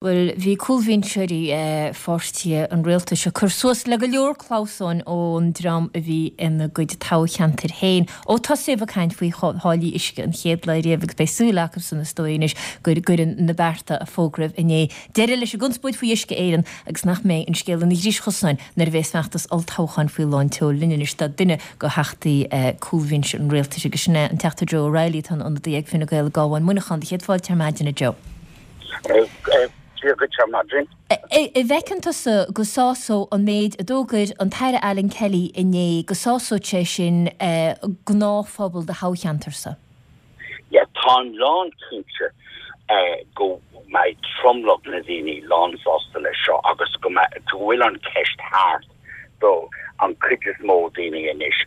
Bhuel, bhí cúlbhinseoirí pháirtithe an rialtais ag cur suas le go leor clamhsáin ón dream a bhí ina gcuid toghcheantair féin ó tosaíodh ag caint faoi tháillí uisce an chéad lá riamh agus beidh súil acusan is dóigh anois go gcuireann na bearta a fógraíodh inné deireadh leis an gconspóid faoi Uisce Éireann agus nach mbeidh an scéal ina dhris chosáin nuair a bheas feachtas olltoghcháin faoi lán tseoil linn anois. Tá duine de theachtaí cúlbhinse an rialtais agus sin é an Teachta Joe O'Reilly atá ina ionadaí ag Fine Gael i gCabhán Muineachán. Céad fáilte ar maidin a Joe. Dia dhuit ar maidin. An bhfeiceann tusa go sásódh an méid a d'fhógair an tAire Alan Kelly inné, go sásódh sé sin gnáthphobal do thoghcheantarsa? Yeah, táim lán cinnte go mbeidh tromlach na daoine lán sásta leis seo agus go mbeidh, go bhfuil an cheist thart do an cuid is mó daoine anois.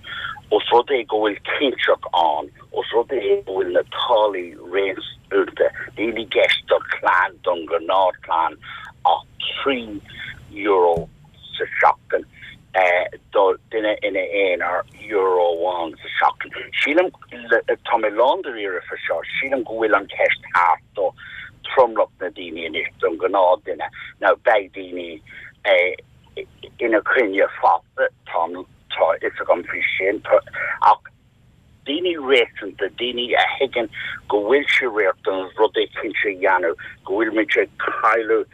Os rud é go bhfuil cinnteacht ann, os rud é go bhfuil na táillí réasúnta, níl i gceist do chlann, don ghnáthchlann ach €3 sa seachtain, do duine ina aonar, euro amháin sa seachtain. Sílim, tá mé lán dáiríre faoi seo, sílim go bhfuil an cheist thart do tromlach na daoine anois, don ghnáthduine. Now beidh daoine ina coinne fosta, tá a fhios agam faoi sin, ach daoine réasúnta, daoine a thuigeann go bhfuil sé riachtanach rud éicint a dhéanamh, go bhfuil muid ag cailleadh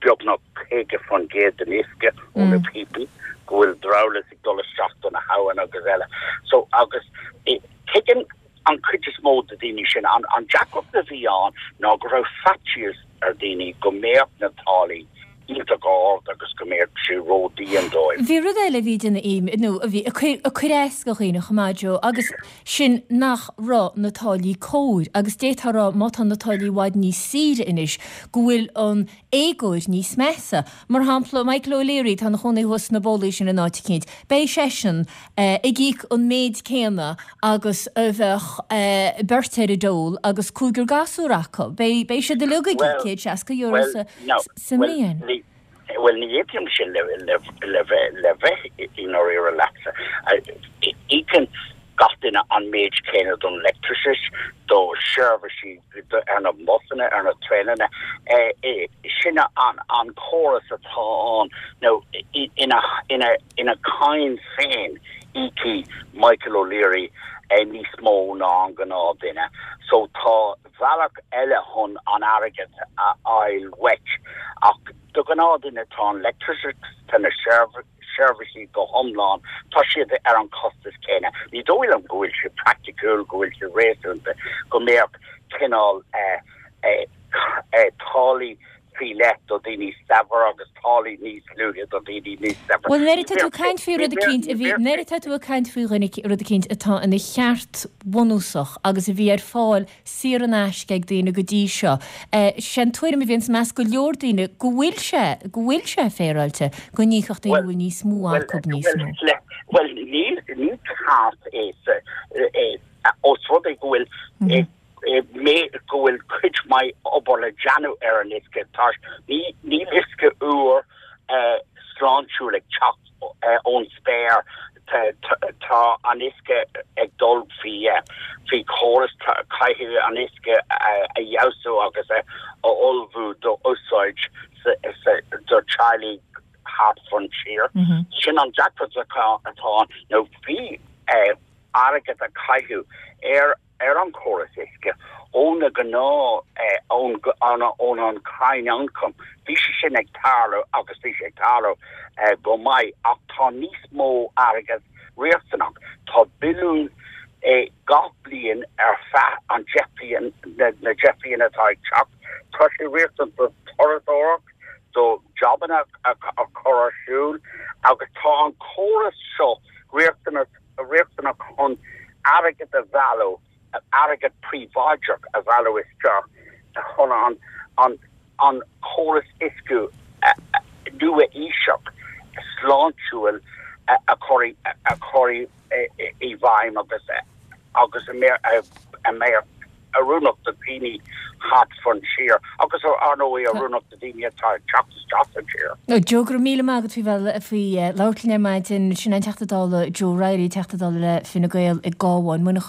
beagnach 50% den uisce ó na píopaí, go bhfuil dramhaíl ag dul isteach do na habhann agus eile. So, agus tuigeann an chuid is mó de daoine sin, an deacracht a bhí ann ná go raibh faitíos ar daoine go mbeadh na táillí iontach ard agus go mbeadh sé ródhian dóibh. Bhí rud eile a bhí ag déanamh nó a bhí ag cur as do dhaoine chomh maith, Joe, agus sin nach raibh na táillí cóir agus d'fhéadfá a rá má tá na táillí i bhfad níos saoire anois go bhfuil an éagóir níos measa. Mar shampla, Michael O'Leary, atá ina chónaí thuas sna bólaí sin in áit eicínt, beidh seisean ag íoc an méid céanna agus a bheadh beirt ar an dole agus cúigear gasúr acu. Beidh, beidh siad uilig ag íoc €160 sa mbliain. Bhuel, ní aontaímse le, le, le bheith, le bheith i ndáiríre leatsa. Íocann gach duine an méid céanna don leictreachas, do sheirbhísí ar na busanna, ar na traenanna. Sin an córas atá ann. Now, ina, ina, ina cháin féin, íocfaidh Michael O'Leary níos mó ná an gnáthduine. So tá bealach eile chun an airgead a fháil uait. Ach do ghnáthduine tá an leictreachas, tá na seirbhísí go hiomlán, tá siad ar an chostas céanna. Ní dóigh liom go bhfuil sé praiticiúil, go bhfuil sé réasúnta go mbeadh cineál táillí faoi leith do dhaoine saibhir agus táillí níos lúithe do dhaoine níos saibhre. Bhuel, nuair atá tú ag caint faoi rud eicínt a bhí, nuair atá tú ag caint faoi dhuine, rud eicínt atá ina cheart bunúsach agus a bhí ar fáil saor in aisce ag daoine go dtí seo, sé an tuairim a bhíonn i measc go leor daoine go bhfuil sé, go bhfuil sé féaráilte go n-íocfadh daoine a bhfuil níos mó acu níos mó. Bhuel, níl, ní ceart é, é, os rud é go bhfuil, mé go bhfuil cuid mhaith obair le déanamh ar an uisce. Tá, ní, níl uisce úr sláintiúil ag teacht ón spéir. Tá an uisce ag dul faoi, faoi chóras, caithfidh an uisce a fheabhsú agus a ullmhú do úsáid sa, sa, do teaghlaigh thart fán tír. Sin an deacracht atá ann. Now bhí airgead a caitheadh ar ar an chóras uisce ó na gnáth, ón ón an cháin ioncaim. Bhí sé sin ag tarlú agus bhí sé ag tarlú go maith ach tá níos mó airgead riachtanach. Tá billiún gach bliain ar feadh an deich bliain, na 10 bliain atá ag teacht. Tá sé riachtanach do turasóireacht, do jabanna a chur ar siúl agus tá an córas seo riachtanach riachtanach chun airgead a mhealladh, airgead príobháideach a mhealladh isteach chun an an an córas uisce nua-aoiseach sláintiúil a chur a chur i bhfeidhm agus agus a mbeadh oiriúnach do dhaoine thart fán tír agus ar ndóigh oiriúnach do dhaoine atá ag teacht isteach sa tír. Joe, go raibh míle maith agat faoi bheith faoi labhairt linn ar maidin. Sin an Teachta Dála Joe Reilly, Teachta Dála le Fine Gael i gCabhán.